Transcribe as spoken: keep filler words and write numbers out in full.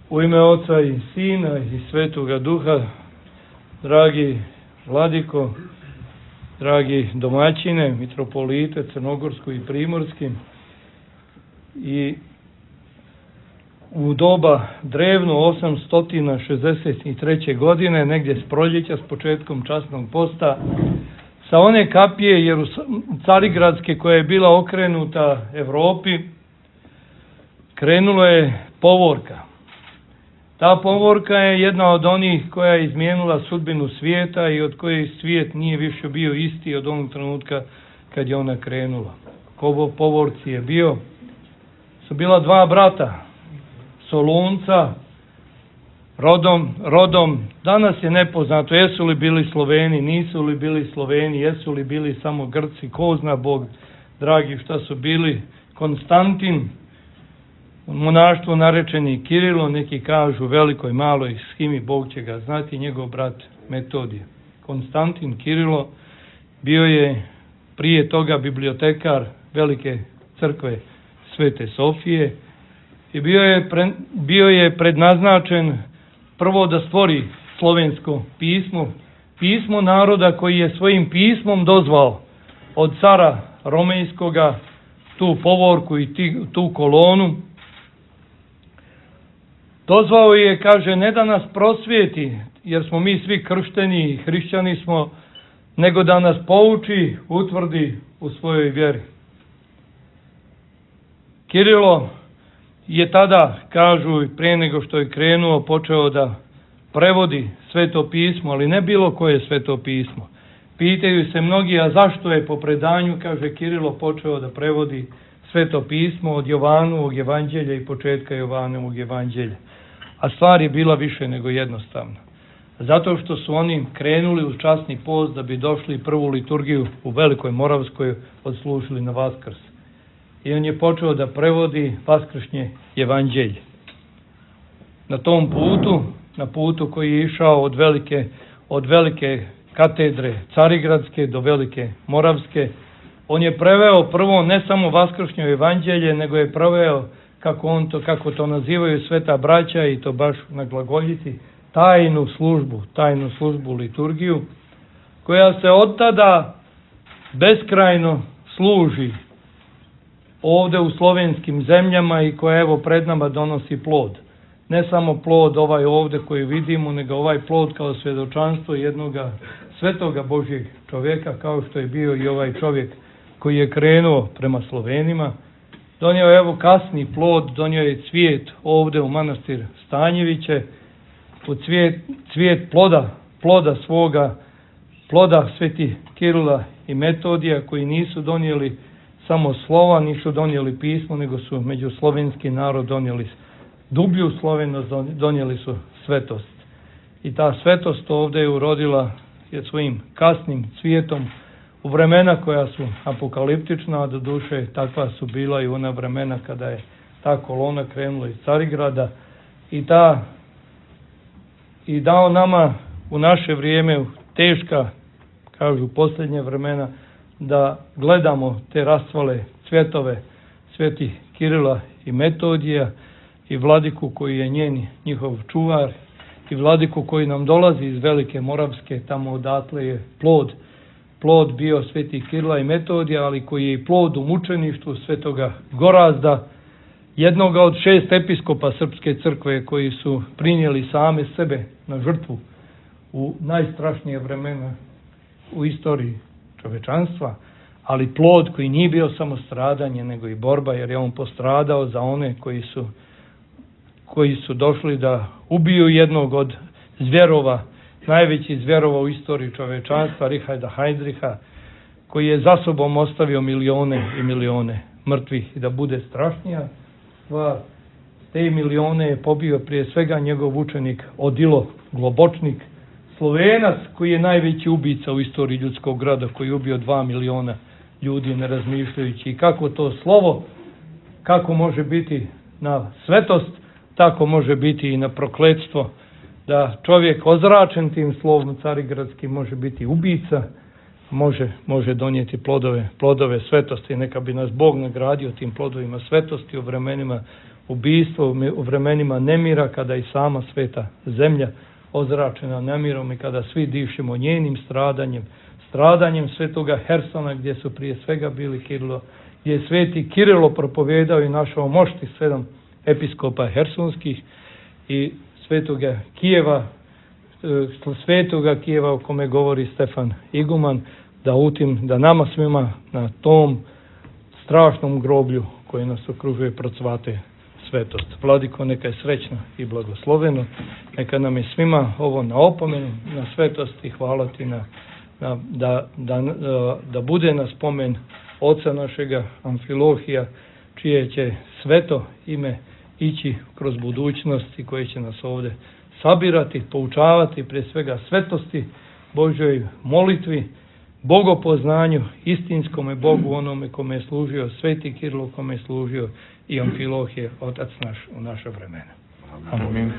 U ime Oca i Sina i Svetoga Duha, dragi vladiko, dragi domaćine, mitropolite crnogorski i primorski, i u doba drevno osamsto šezdeset treće. godine, negdje s proljeća, s početkom časnog posta, sa one kapije Jerus- carigradske koja je bila okrenuta Evropi, krenulo je povorka. Ta povorka je jedna od onih koja je izmijenila sudbinu svijeta i od koje svijet nije više bio isti od onog trenutka kad je ona krenula. Ko povorci je bio, su bila dva brata, Solunca, rodom, rodom, danas je nepoznato jesu li bili Sloveni, nisu li bili Sloveni, jesu li bili samo Grci, ko zna Bog, dragi, šta su bili. Konstantin, u monaštvu narečeni Kirilo, neki kažu velikoj, maloj schimi, Bog će ga znati, njegov brat Metodije. Konstantin Kirilo bio je prije toga bibliotekar velike crkve Svete Sofije i bio je, pre, bio je prednaznačen prvo da stvori slovensko pismo, pismo naroda koji je svojim pismom dozvao od cara Romejskoga tu povorku i ti, tu kolonu. Dozvao je, kaže, ne da nas prosvijeti, jer smo mi svi kršteni i hrišćani smo, nego da nas pouči, utvrdi u svojoj vjeri. Kirilo je tada, kažu, prije nego što je krenuo, počeo da prevodi Sveto pismo, ali ne bilo koje Sveto pismo. Pitaju se mnogi, a zašto je po predanju, kaže, Kirilo počeo da prevodi Sveto pismo od Jovanovog evanđelja i početka Jovanovog evanđelja. A stvar je bila više nego jednostavna. Zato što su oni krenuli u časni post da bi došli prvu liturgiju u Velikoj Moravskoj odslužili na Vaskrs. I on je počeo da prevodi vaskršnje evanđelje. Na tom putu, na putu koji je išao od velike, od velike katedre Carigradske do Velike Moravske, on je preveo prvo ne samo vaskršnje evanđelje, nego je preveo, kako on to, kako to nazivaju sveta braća, i to baš na glagoljici, tajnu službu, tajnu službu liturgiju, koja se od tada beskrajno služi ovde u slovenskim zemljama i koja evo pred nama donosi plod. Ne samo plod ovaj ovde koji vidimo, nego ovaj plod kao svjedočanstvo jednoga svetoga Božjeg čovjeka, kao što je bio i ovaj čovjek koji je krenuo prema Slovenima. Donio je evo kasni plod, donio je cvijet ovde u manastir Stanjeviće, u cvijet, cvijet ploda, ploda svoga, ploda sveti Kirila i Metodija, koji nisu donijeli samo slova, nisu donijeli pismo, nego su među slovenski narod donijeli dublju slovenost, donijeli su svetost. I ta svetost ovde je urodila je svojim kasnim cvijetom u vremena koja su apokaliptična, a do duše takva su bila i ona vremena kada je ta kolona krenula iz Carigrada i ta i dao nama u naše vrijeme teška, kažu posljednje vremena, da gledamo te rastvale cvjetove sveti Kirila i Metodija i vladiku koji je njen njihov čuvar i vladiku koji nam dolazi iz Velike Moravske, tamo odatle je plod plod bio sveti Kirila i Metodija, ali koji je i plod u mučeništvu svetoga Gorazda, jednoga od šest episkopa Srpske crkve koji su prinijeli same sebe na žrtvu u najstrašnije vremena u istoriji čovečanstva, ali plod koji nije bio samo stradanje, nego i borba, jer je on postradao za one koji su, koji su došli da ubiju jednog od zvjerova, najveći zvjerova u istoriji čovečanstva, Richarda Heydricha, koji je za sobom ostavio milione i milione mrtvih. I da bude strašnija stvar, te milione je pobio prije svega njegov učenik Odilo Globočnik, Slovenac koji je najveći ubica u istoriji ljudskog grada, koji je ubio dva miliona ljudi ne razmišljajući. I kako to slovo, kako može biti na svetost, tako može biti i na prokletstvo, da čovjek ozračen tim slovom carigradskim može biti ubica, može, može donijeti plodove, plodove svetosti. Neka bi nas Bog nagradio tim plodovima svetosti u vremenima ubijstvo u vremenima nemira, kada i sama sveta zemlja ozračena nemirom i kada svi dišemo njenim stradanjem, stradanjem svetoga Hersona, gdje su prije svega bili Kirilo, gdje je sveti Kirilo propovedao i našao mošti sedam episkopa hersonskih i svetoga Kijeva, svetoga Kijeva o kome govori Stefan Iguman, da utim, da nama svima na tom strašnom groblju koji nas okružuje procvate svetost. Vladiko, neka je srećno i blagosloveno, neka nam je svima ovo na opomenu, na svetost i hvala ti na, na, da, da, da bude na spomen oca našega Amfilohija, čije će sveto ime ići kroz budućnost i koje će nas ovdje sabirati, poučavati prije svega svetosti, Božjoj molitvi, bogopoznanju, istinskome Bogu, onome kome je služio sveti Kirilo, kome je služio i Amfilohije, otac naš u naša vremena. Amen.